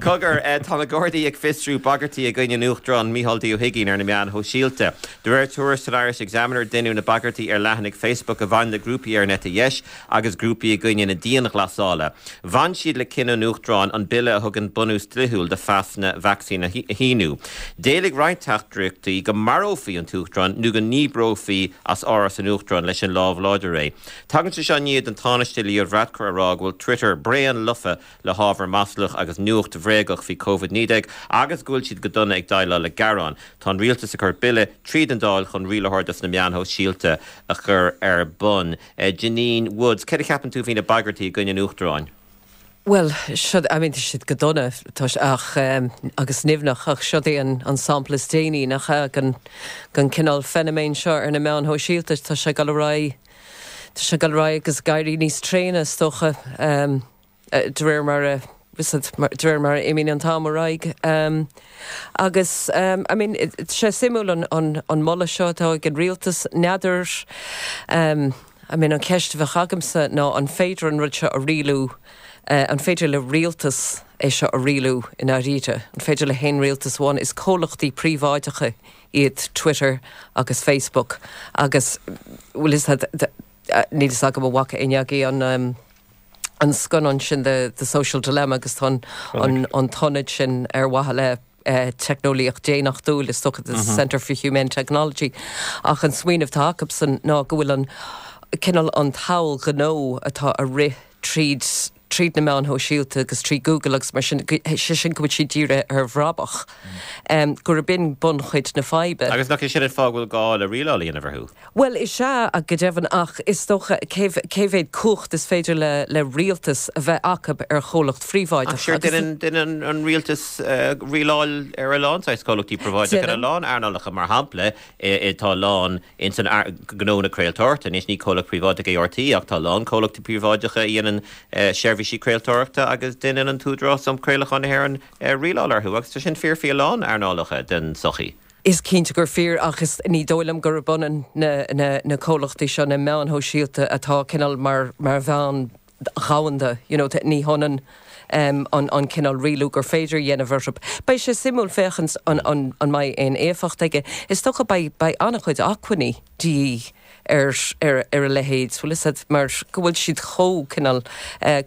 Cogar, tá na Gardaí ag fiosrú bagairtí i gcoinne an Uachtaráin Micheál D Ó hUigínn ar na meáin shóisialta. De réir tuairisc san Irish Examiner, deineadh na bagairtí ar leathanaigh Facebook a bhain le grúpaí ar an eite dheis agus grúpaí i gcoinne na dianghlasála. Bhain siad le cinneadh an Uachtaráin an bille a thugann bunús dlíthiúil do phasanna vacsaíne a shíniú. D'éiligh roinnt teachtaireachtaí go marófaí an tUachtarán nó go ndíbreofaí as Áras an Uachtaráin leis an lámh láidir é. Tagann sé seo i ndiaidh don Tánaiste Leo Varadkar a rá go bhfuil Twitter bréan lofa le hábhar maslach agus nuacht bhréagach faoi Covid-19 agus go bhfuil siad go dona ag déileáil le gearáin. Tá an rialtas ag cur bille tríd an Dáil chun rialaitheoir dos na meáin shóisialta a chur ar bun. Janine Woods, céard a cheapann tú faoi na bagairtí i gcoinne an Uachtaráin? Bhuel, seo, I mean, tá siad go dona, tá sé, ach, agus nimhneach, ach seo é an, an sampla is déanaí, nach ea, den, den cineál feiniméin seo ar na meáin shóisialta. Tá sé ag dul ar aghaidh, tá sé ag dul ar aghaidh agus ag éirí níos tréine, is dócha, de réir mar a, de réir mar a imíonn an t-am ar aghaidh. Agus, I mean, tá sé suimiúil an, an, an moladh seo atá ag an rialtas, n'fheadar, I mean, an cheist a bheadh agamsa ná an féidir an rud seo a rialú, an féidir le rialtas é seo a rialú i ndáiríre? An féidir le haon rialtas amháin? Is comhlachtaí príobháideacha iad Twitter agus Facebook agus, bhfuil fhios a'd, níl fhios agam an bhfaca éinne agaibh an, an scannán sin The, The Social Dilemma agus tá an, an, an t-ionad sin ar mhaithe le teicneolaíocht daonnachtúil, is dócha, the Centre for Humane Technology, ach an smaoineamh atá acusan ná go bhfuil an cineál an tsamhail ghnó atá ag rith tríd tríd na meáin shóisialta agus trí Google agus mar sin, sé sin go bhfuil siad dírithe ar bhrabach, gurb in bunchuid na faidhbe. Agus nach é sin an fáth go bhfuil gá le rialáil a dhéanamh orthu? Bhuel, is ea, go deimhin, ach is dócha, cé cé mhéad cumhacht is féidir le le rialtas a bheith acu ar chomhlacht phríobháideach Ach sure, agus. déanann an rialtas rialáil ar a lán saghas comhlachtaí príobháideacha in a lán earnálacha, mar shampla, tá a lán ins an gnó na craoltóireachta, anois ní comhlacht príobháideach é RTÉ ach tá a lán comhlachtaí príobháideacha a dhéanann seirbhísí craoltóireachta agus déanann an tÚdarás um Chraolachán na hÉireann rialáil orthu agus tá sin fíor faoi a lán earnálacha den tsochaí. Is cinnte gur fíor, ach is ní dóigh liom gurb ionann na na comhlachtaí seo, na meáin shóisialta atá cineál mar mar mheán dhomhanda, you know, ní hionann an an cineál rialú gur féidir a dhéanamh orthu. Beidh sé suimiúil féachaint an an an mbeidh aon éifeacht aige. Is dócha beidh beidh an-chuid acmhainní de dhíth ar ar ar a leithéid, bhfuil fhios a'd, mar go bhfuil siad chomh cineál,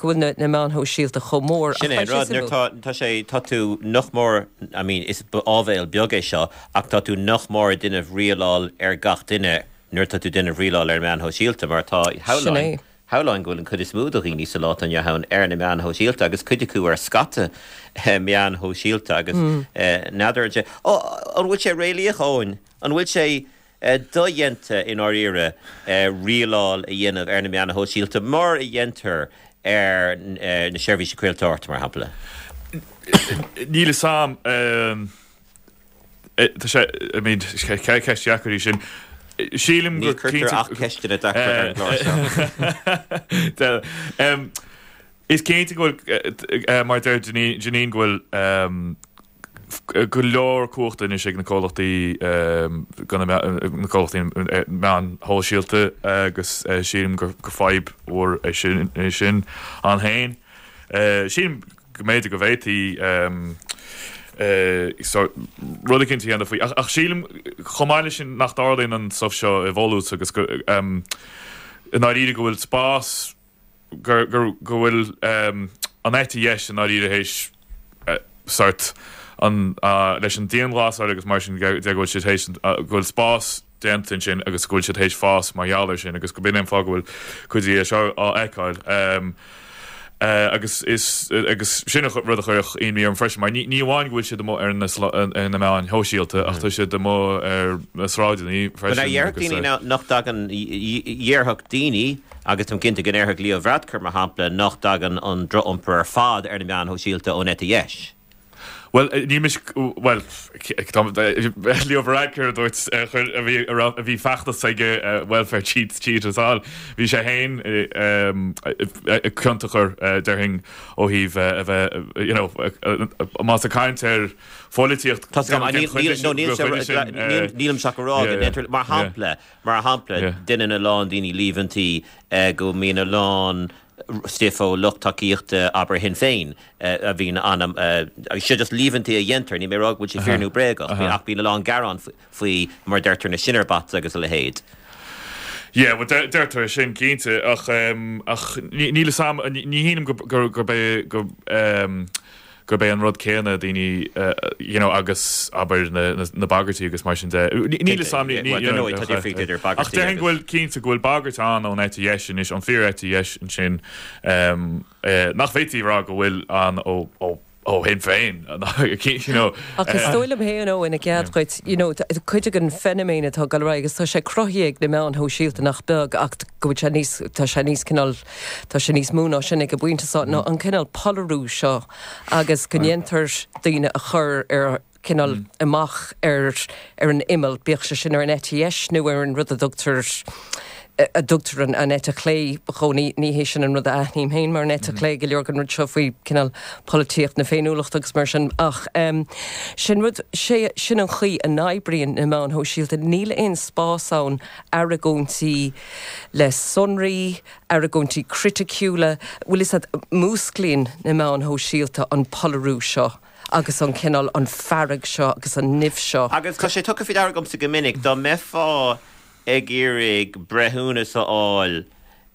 go bhfuil na na meáin shóisialta chomh mór. Sin é an rud, nuair tá tá sé, tá tú nach mór, I mean, is áibhéil beag é seo, ach tá tú nach mór ag déanamh rialáil ar gach duine nuair atá tú ag déanamh rialáil ar na meáin shóisialta, mar tá, Sin é. shamhlóinn go bhfuil an chuid is mó de dhaoine sa lá atá inniu ann ar na meáin shóisialta agus cuid acu ar scata meáin shóisialta agus n'fheadar an sé, an bhfuil sé réalaíoch, Eoin? An bhfuil sé dodhéanta i ndáiríre rialáil a dhéanamh ar na meáin shóisialta mar a dhéantar ar na seirbhísí craoltóireachta, mar shampla. Níl fhios a'm. Tá sé, I mean, ceist dheacair í sin. Sílim gur cinnte. Ní chuirtear ach ceisteanna deacra ar an gclár seo. Is cinnte go bhfuil, mar a deir Janine, go bhfuil go leor cumhachta anois ag na comhlachtaí na comhlachtaí meáin shóisialta agus sílim gur fadhb mhór é sin é sin ann féin. Sílim go mb'fhéidir go bhféadfaí rud eicínt a dhéanamh faoi ach sílim chomh maith leis sin nach dtarlaíonn an stuif seo i bhfolús agus go i ndáiríre go bhfuil spás go bhfuil an eite dheis i ndáiríre théis sort an leis an dianghlasáil agus mar sin de go bhfuil siad théis go bhfuil spás déanta ansin agus go bhfuil siad théis fás mar gheall air sin agus go b'in é an fáth go bhfuil cuid de seo á fheiceáil. Agus is agus sin an rud a chuirfeadh imní orm freisin mar ní ní amháin go bhfuil siad amuigh ar na ar na meáin shóisialta ach tá siad amuigh ar na sráideanna freisin agus. Déarfadh daoine nach dtagann, dhéarfadh daoine, agus táim cinnte go ndéarfadh Leo Varadkar, mar shampla, nach dtagann an droch-iompar ar fad ar na meáin shóisialta ón eite dheis. Bhuel, ní mise, bhuel, Leo Varadkar a dúirt, a chuir, a bhí, a raibh, a bhí feachtas aige, welfare cheats cheat us all. Bhí sé féin ciontach air, déarfainn, ó thaobh a bheith, you know, más ag caint ar pholaitíocht, Tá Nílimse ach ag rá go ndéantar, mar shampla, mar shampla, déanann a lán daoine líomhaintí go mbíonn a lán. stuif ó lucht tacaíochta, abair, Shinn Féin a bhíonn an, agus seo just líomhaintí a dhéantar, níl mé ag rá go bhfuil sé fíor nó bréagach, ach bíonn a lán gearán faoi, mar a deirtear, na Shinner bots agus a leithéid. Yeah, well deirtear é sin cinnte ach ach níl a fhios a'm, ní shílim gurb é go gurb é an rud céanna daoine you know agus abair na na bagairtí agus mar sin de. Níl a fhios a'm ní you know tá difríocht idir bagairtí ach déarfainn go bhfuil cinnte go bhfuil bagairt ann ón eite dheis anois, an fíor-eite dheis ansin nach bhféadfaí a rá go bhfuil ann ó ó ó Shinn Féin, you know. Ach is dóigh liom féin, Eoin, i gcead dhuit, you know, cuid den feiniméan atá ag dul ar aghaidh agus tá sé cruthaithe ag na meáin shóisialta nach beag ach go bhfuil sé níos, tá sé níos cineál, tá sé níos mó ná sin ag an bpointe seo, ná an cineál polarú seo agus go ndéantar daoine a chur ar cineál amach ar ar an imeall, bíodh sé sin ar an eite dheis nó ar an rud a dtugtar a dtugtar an an eite chlé dhó, ní ní hé sin an rud a aithním féin mar an eite chlé, go leor den rud seo faoi cineál polaitíocht na féiniúlachta agus mar sin ach sin rud, sé sin an chaoi a n-oibríonn na meáin shóisialta, níl aon spás ann argóintí le sonraí, argóintí criticiúla, bhfuil fhios a'd, músclaíonn na meáin shóisialta an polarú seo. agus an cineál, an fearg seo agus an nimh seo. Agus tá sé tugtha faoi deara agamsa go minic, dá mbeifeá ag iarraidh breithiúnas a fháil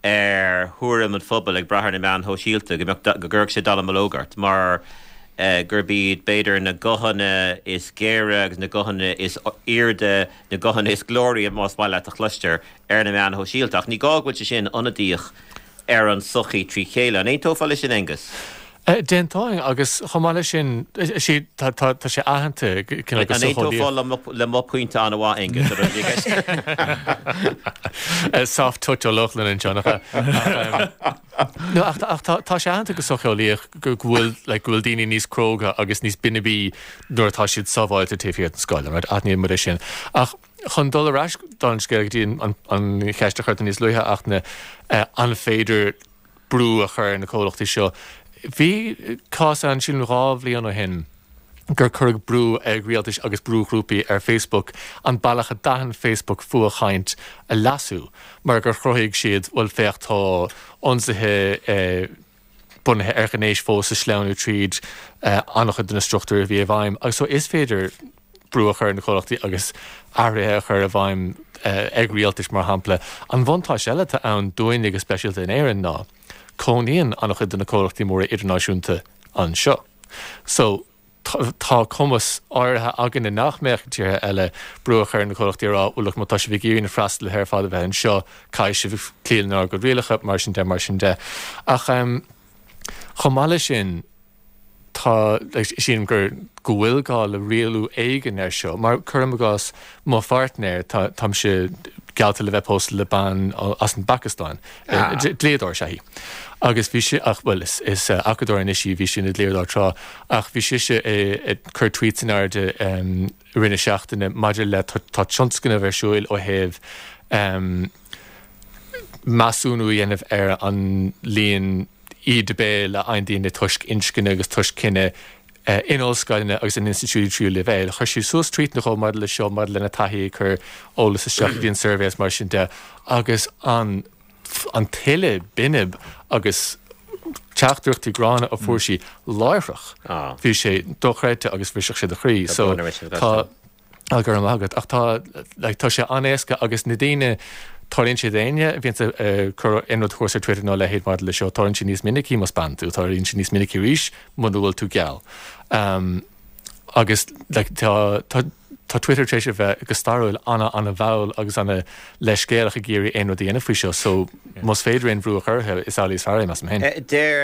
ar thuairim an phobail ag brath ar na meáin shóisialta, go mbeadh, go gcuirfeadh sé dallamullóg ort, mar gurb iad, b'fhéidir, na guthanna is géire agus na guthanna is airde, na guthanna is glóraí, más maith leat, a chloistear ar na meáin shóisialta. Ach ní gá go bhfuil sé sin ionadaíoch ar an tsochaí trí chéile. An aontófá leis sin, Aengus? D'aontóinn, agus chomh maith leis sin, tá sé aitheanta cineál go An aontófá le mo phointe an-mhaith, Aengus, a raibh i gceist? Soft touch Ó Lochlainn anseo, nach ea? No, ach tá sé aitheanta go socheolaíoch go bhfuil like go bhfuil daoine níos cróga agus níos binibí nuair atá siad sábháilte taobh thiar den scoil, right? Aithníonn muid é sin. Ach chun dul ar ais don scéal go dtí an cheist a chuir tú níos luaithe, Fhachtna, an féidir brú a chur ar na comhlachtaí seo. Bhí cás ann, sílim 2 bhliain ó shin, gur cuireadh brú ag rialtais agus brúghrúpaí ar Facebook an bealach a d'aithin Facebook fuathchaint a leasú mar gur chruthaigh siad, bhuel féach tá ionsaithe bunaithe ar ghnéas fós ag sleamhnú tríd an-chuid de na struchtúir a bhí i bhfeidhm. Agus so is féidir brú a chur ar na comhlachtaí agus athruithe a chur i bhfeidhm ag rialtais, mar shampla. An bhuntáiste eile atá ann dúinne go speisialta in Éirinn ná cónaíonn an-chuid de na comhlachtaí móra idirnáisiúnta anseo. So, tá cumas áirithe againne nach mbeadh ag tíortha eile brú a chur ar na comhlachtaí a rá, bhuel look, má tá sibh ag iarraidh na freastalaithe ar fad a bheith anseo, caithfidh sibh cloí lenár gcuid rialacha, mar sin de, mar sin de. Ach chomh maith leis sin, tá, sílim gur, go bhfuil gá le rialú éigin air seo, mar cuirim i gcás, mo pháirtnéir, tá, táimse geallta le bheith pósta le bean as an bPacastáin, dlíodóir is ea í, agus bhí sí, ach, bhuel, is, is acadóir anois í, bhí sí ina dlíodóir tráth, ach bhí sise ag cur tweets in airde i rith na seachtaine maidir le, tá tionscnamh ar siúil ó thaobh measúnú a dhéanamh ar an líon íde béil a fhaigheann daoine toisc inscne agus toisc cine in ollscoileanna agus in institiúidí tríú leibhéal. Chuir sí suas tweet nó dhó maidir le seo, maidir lena taithí ag cur eolas isteach go dtí an suirbhé is mar sin de agus an an tuile binib agus teachtaireachtaí gránna a fuair sí láithreach, bhí sé dochreidte agus bhrisfeadh sé do chroí. So tá. Á, go raibh maith agat. Ach tá, like, tá sé an-éasca agus na daoine, tarlaíonn sé d'éinne a bhíonns ag cur aon rud thuas ar Twitter nó a leithéid maidir le seo, tarlaíonn sé níos minicí más bean tú, tarlaíonn sé níos minicí arís muna bhfuil tú geal. Um, agus, like, tá, tá, tá Twitter tar éis a bheith go stairiúil ana, ana-mhall agus ana-leithscéalach ag iarraidh aon rud a dhéanamh faoi seo, so más féidir aon bhrú a chur orthu, is amhlaidh is fearr é, measaim féin. Deir,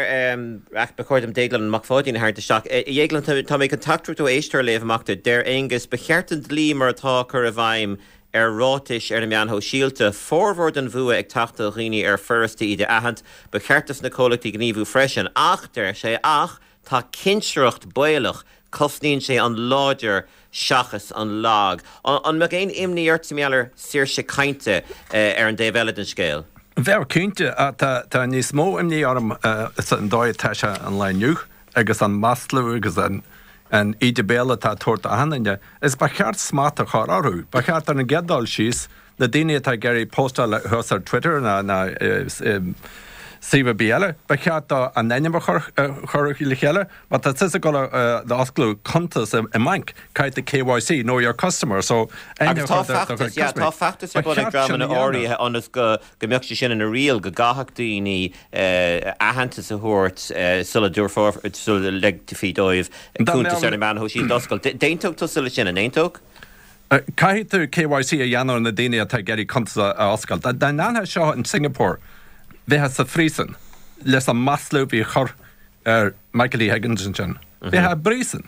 ach ba chóir dom Déaglán Mac Pháidín a tharraingt isteach. A Dhéagláin, tá mé chun teachtaireacht ó éisteoir a léamh amach duit. Deir Aengus, Ba cheart an dlí mar atá a chur i bhfeidhm ar ráitis ar na meáin shóisialta. Formhór den bhfuath ag teacht ó dhaoine ar furasta iad a aithint. Ba cheart dos na comhlachtaí gníomhú freisin. Ach, deir sé, ach tá cinsireacht baolach. Cosnaíonn sé an láidir seachas an lag. An mbeadh aon imní ort mar gheall ar saoirse cainte ar an dtaobh eile den scéal? Bheadh, cinnte. Tá níos mó imní orm an dóigh atá sé an lá inniu agus an maslú agus an íde béil atá á tabhairt d'achan duine. Is ba cheart smacht a chur orthu. Ba cheart ar an gcéad dul síos, na daoine atá ag iarraidh postáil thuas ar Twitter ná. suíomh ar bith eile, ba cheart dó a n-ainm a chur le chéile. Má tá tusa ag dul a osclú cuntas i mbanc, caithfidh tú KYC, Know Your Customer, so aithne a chur do do chuid custaiméirí. Tá feachtas ar bun ag dreamanna áirithe ionas go mbeadh sé sin ina riail, go gcaithfeadh daoine aitheantas a thabhairt sula dtabharfar, sula ligfí dóibh cuntas ar na meáin shóisialta a oscailt. D'aontódh tusa leis sin, an aontódh? Caithfidh tú KYC a dhéanamh ar na daoine atá ag iarraidh cuntas a oscailt. Dá ndéanfá seo in Singapore, bheifeá sa phríosún leis an maslú a bhí á chur ar Michael D Higgins ansin. Bheifeá i bpríosún.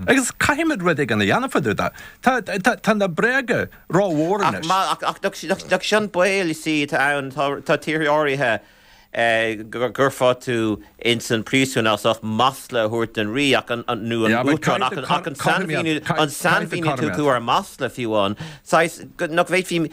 Agus caithfimid rud éigin a dhéanamh fá dtaobh de. Tá, tá na bréaga rómhór anois. Ach, ach, ach, nach sin baol, you see, atá ann, tá, tá tíortha áirithe go gcuirfeá tú ins an príosún as ucht masla a thabhairt don rí ach an, nó an uachtarán ach an, ach an sainmhíniú, an sainmhíniú atá acu ar masla fiú amháin, saghas, nach bhféadfaí,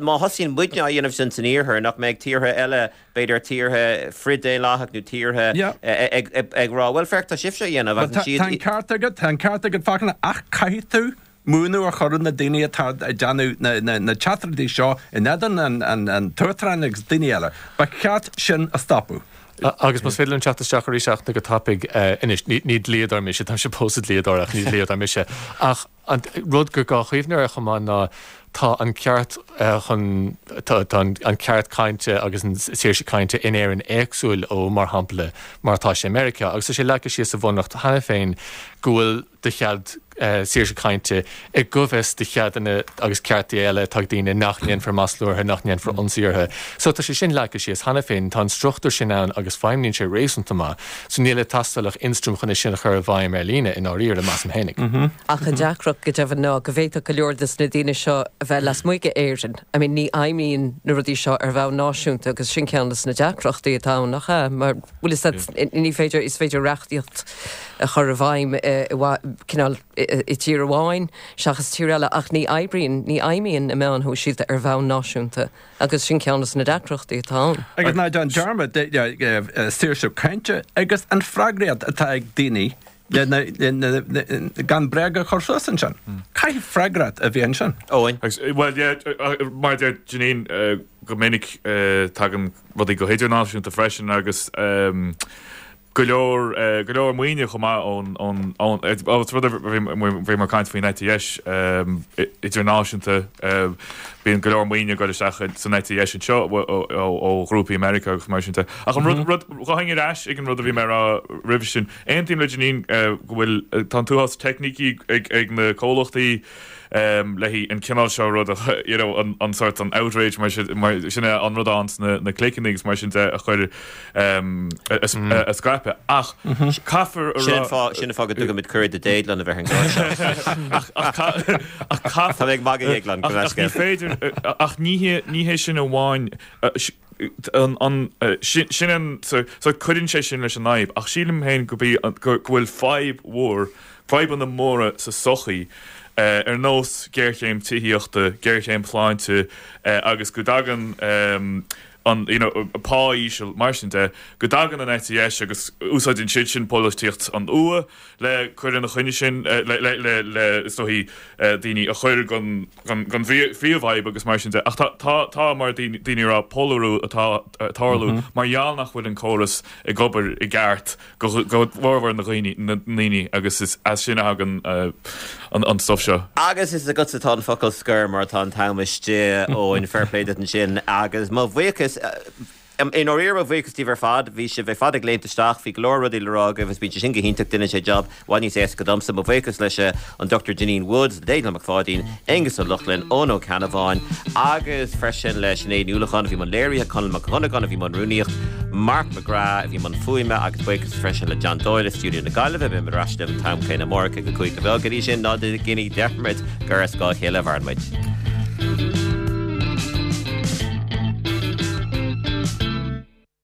má thosaíonn muidne á dhéanamh sin san iarthar, nach mbeidh tíortha eile b'fhéidir tíortha frith-daonlathach nó tíortha ag rá, bhuel, féach, tá sibhse á dhéanamh agus siad. Tá an ceart agat, tá an ceart agat, Fachtna, ach caithfidh tú múineadh a chur ar na daoine atá ag déanamh na teachtaireachtaí seo in éadan an tUachtaráin agus daoine eile. Ba cheart sin a stopadh. Agus más féidir liom teacht isteach arís Fhachtna go tapaidh, anois, ní dlíodóir mise, táimse pósta dlíodóir ach ní dlíodóir mise, ach An rud gur gá cuimhneamh air chomh maith ná tá an ceart chun, tá an ceart cainte agus an saoirse cainte in Éirinn éagsúil ó, mar shampla, mar atá sé i Meiriceá agus tá sé leagtha síos sa Bhunreacht cheana féin go bhfuil do chead saoirse cainte i gcoimhfhios do cheadanna agus ceartaí eile atá ag daoine nach ndéanfar maslú orthu, nach ndéanfar ionsaí orthu. So tá sé sin leagtha síos cheana féin, tá an struchtúr sin ann agus feidhmníonn sé réasúnta maith. So níl ag teastáil ach ionstraim chun é sin a chur i bhfeidhm ar líne, i ndáiríre, measaim fhéinig. Ach an deacracht, go deimhin, ná go bhféadfadh go leor de na daoine seo a bheith lasmuigh d'Éirinn. I mean, ní fheidhmíonn na rudaí seo ar bhonn náisiúnta agus sin ceann de na deacrachtaí atá ann, nach ea? Mar, bhfuil fhios agat, ní féidir, is féidir reachtaíocht a chur i bhfeidhm i, cineál, i dtír amháin seachas tír eile ach ní oibríonn, ní fheidhmíonn na meáin shóisialta ar bhonn náisiúnta. Agus sin ceann de na deacrachtaí atá ann. Agus ná déan dearmad saoirse cainte agus an freagracht atá ag daoine gan bréaga a chur suas ansin. Caithfidh freagracht a bheith ansin. Eoin. Bhuel, yeah, mar a deir Janine, go minic tagann rudaí go hidirnáisiúnta freisin agus go leor, go leor maoine chomh maith ón, ón, ón, is rud a bhí mar caint faoin eite dheis idirnáisiúnta, bíonn go leor maoine ag dul isteach san eite dheis anseo ó, ó ghrúpaí i Meiriceá agus mar sin de. Ach an rud, rud, ghabhfainn ar ais ag an rud a bhí mé a rá roimhe sin, aontaím le Janine go bhfuil, tá an t-uafás teicnící ag, ag na comhlachtaí, le haghaidh an cineál seo rud a, you know, an, an sort an outrage mar sin, mar sin é an rud ann sna na cliceanna agus mar sin de a chur a scaipeadh. Ach caithfear a Sin an fáth, sin an fáth go dtugaimid cuireadh do Déaglán a bheith ar an gclár seo. Ach, ach, ach caithfear. Tá mé ag magadh, a Dhéagláin, go Ach ní féidir, ach ní hé, ní hé sin amháin, an, an, sin, sin an, so, so cuireann sé sin leis an fhadhb. Ach sílim féin go bí, go, go bhfuil fadhb mhór, fadhbanna móra sa tsochaí, ar nós géarchéim tithíochta, géarchéim shláinte agus go dtagann an, you know, pá íseal, mar sin de, go dtagann an eite dheis agus úsáideann siad sin polaitíocht an fhuatha le cur ina choinne sin, le, le, le, le, is dóichí, daoine a chur den, den, den phríomhfhadhb agus mar sin de. Ach tá, tá, tá, mar daoine ag rá, polarú atá ag tarlú mar gheall nach bhfuil an córas ag obair i gceart go bhformhór na ndaoine agus is as sin a thagann an stuif seo. Agus is agatsa atá an focal scoir mar tá an t-am istigh, Eoin, fair play duit ansin agus mo bhuíochas, i ndáiríre mo bhuíochas daoibh ar fad, bhí sibh ar fad ag léimt isteach, bhí go leor rudaí le rá agaibh agus bíonn sé sin go hiontach, déanann sé jab i bhfad níos éasca domsa. Mo bhuíochas leis an Dr Janine Woods, Déaglán Mac Pháidín, Aengus Ó Lochlainn, Eoin Ó Ceannabháin agus freisin le Sinéad Ní Uallacháin a bhí i mbun léirithe, Conall Mac Dhonnagáin a bhí i mbun rúnaíocht, Mark McGrath a bhí i mbun fuaime agus buíochas freisin le John Doyle i stiúideo na Gaillimhe. Beimid ar ais libh an t-am céanna amárach ag a 5 a bheag. Go dtí sin, ná déanaigí dearmad gur ar scáth a chéile a mhaireann muid.